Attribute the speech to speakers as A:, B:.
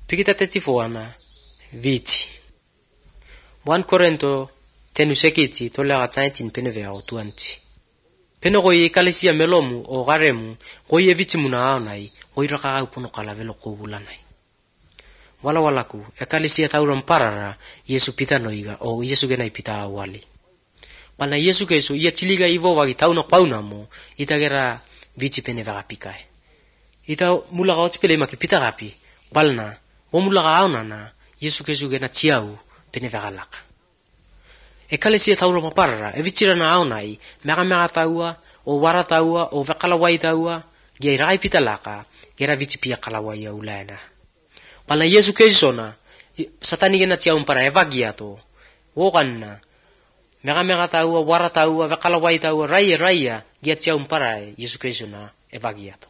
A: Pikita tetsifuana vici. 1 Korinto tenu sekiti tolegat 19 penevea o 20. Peno goi kalisia melomu o garemu goi vici muna aonai goi raka puno kala velo kobulanai. Wala-walaku kalisia tauram parara Yesu pita noiga o Yesu genai pita awali. Pana Yesu kesu ia chiliga ivo wagi tauna pauna mo itagera vici penevega pikai. Ita mulaga otpele maki pita gapi balna o mulaga aonana Yesu kesu gena chiau penevega laka. Kalisia tauram parara vicirana aonai mega taua o wara taua o vekalawai taua gia irai pita laka gera vici pia kalawai aulana. Pana Yesu keisona satani gena chiau para evagiato o ganna mega taua wara taua vekalawai taua raia gia chiau para Yesu keisona evagiato.